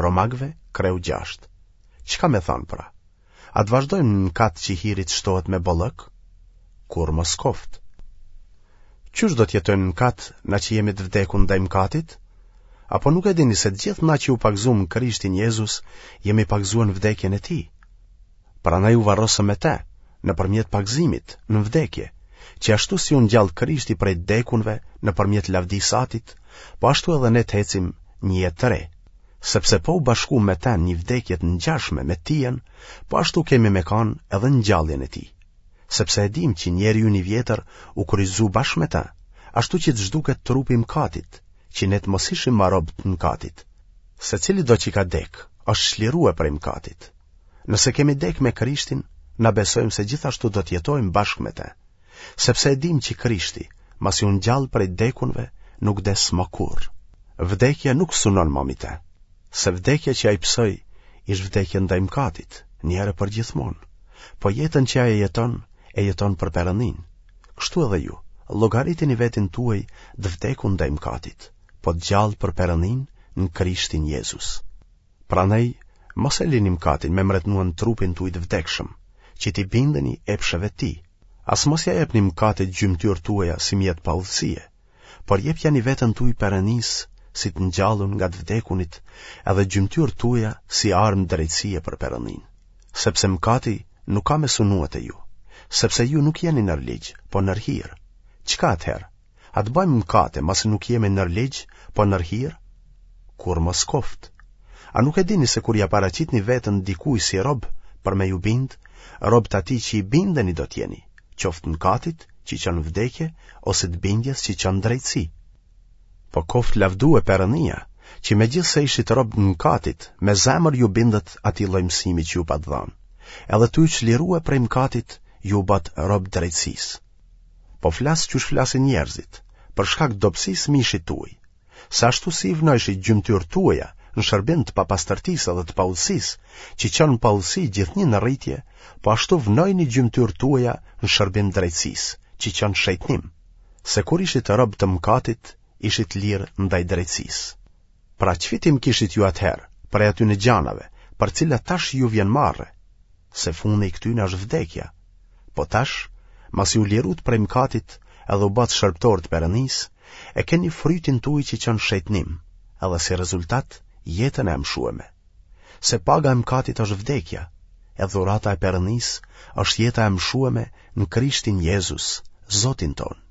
Romakëve, kreu 6. Çka me thanë pra? A të vazhdojmë në mëkat që hiri të shtohet me bollëk? Kurrë mos koftë. Qysh do të jetojmë në mëkat na që jemi të vdekun ndaj mëkatit? Apo nuk e dini se të gjithë na që u pagëzuam në Krishtin Jezus, jemi pagëzuar në vdekjen e tij? Prandaj u varrosëm me te, nëpërmjet pagëzimit, në vdekje, që ashtu si u ngjall Krishti prej të vdekunve nëpërmjet lavdisë së Atit, po ashtu edhe ne të ecim një jetë të re. Sepse po u bashkuam me te në një vdekje të ngjashme me tijën, po ashtu kemi me kanë edhe në ngjalljen e tij. Sepse e dimë që njeriu ynë i vjetër u kryqëzu bashkë me të, ashtu që të zhduket trupi i mëkatit, që ne të mos ishim ma rob të mëkatit. Se cilido që ka dek, është çlirue prej mëkatit. Nëse kemi dek me Krishtin, na besojmë se gjithashtu do të jetojmë bashkë me të. Sepse e dimë që Krishti, masi u ngjall prej t'dekunve, nuk des më kurrë. Vdekja nuk sunon më mbi të. Se vdekja që ai pësoi, ish vdekje ndaj mëkatit, një herë për gjithmonë. Po jetën që ai e jeton, e jeton për Perëndinë. Kështu edhe ju, llogaritini veten tuaj të vdekun ndaj mëkatit, po të gjallë për Perëndinë në Krishtin Jezus. Prandaj, mos e lini mëkatin me mbretnua në trupin tuaj të vdekshëm, që t'i bindeni epsheve të tij. As mos ia jepni mëkatit gjymtyrët tuaja si mjet paudhësie, por jepjani veten tuaj Perëndisë si të ngjallun nga të vdekunit, edhe gjymtyrët tuaja si armë drejtësie për Perëndinë. Sepse mëkati nuk ka me sunue te ju, sepse ju nuk jeni nër ligj, po nër hir. Çka atëherë? A të bëjmë mëkate, masi nuk jemi nër ligj, po nër hir? Kurrë mos koftë. A nuk e dini se kur ia paraqitni veten dikuj si rob për me ju bind, rob të atij që i bindeni do të jeni, qoftë mëkatit që çon në vdekje ose të bindjes që çon në drejtësi. Po koftë lavdue Perëndia, që megjithëse ishit rob të mëkatit, me zemër ju bindët atij lloj mësimi që ju pat dhanë. Edhe tu u çlirue prej mëkatit, ju u batë rob drejtësisë. Po flas qysh flasin njerëzit, për shkak të dobësisë së mishit tuaj. Se ashtu si i vnojshit gjymtyrët tuaja në shërbim të papastërtisë dhe të paudhësisë, që çon në paudhësi gjithnjë në rritje, po ashtu vnojini gjymtyrët tuaja në shërbim të drejtësisë, që çon në shejtnim. Se kur ishit rob të mëkatit, ishit lirë ndaj drejtësisë. Pra ç'fitim kishit ju atëherë prej atyne gjanave, për cilat tash ju vjen marre, se fundi i këtyne është vdekja. Po tash, masi u lirutë prej mëkatit edhe u batë shërbëtorë të Perëndisë, e keni frytin tuaj që çon shejtnim, edhe si rezultat jetën e amshueme. Se paga e mëkatit është vdekja, e dhurata e Perëndisë është jeta e amshueme në Krishtin Jezus, Zotin tonë.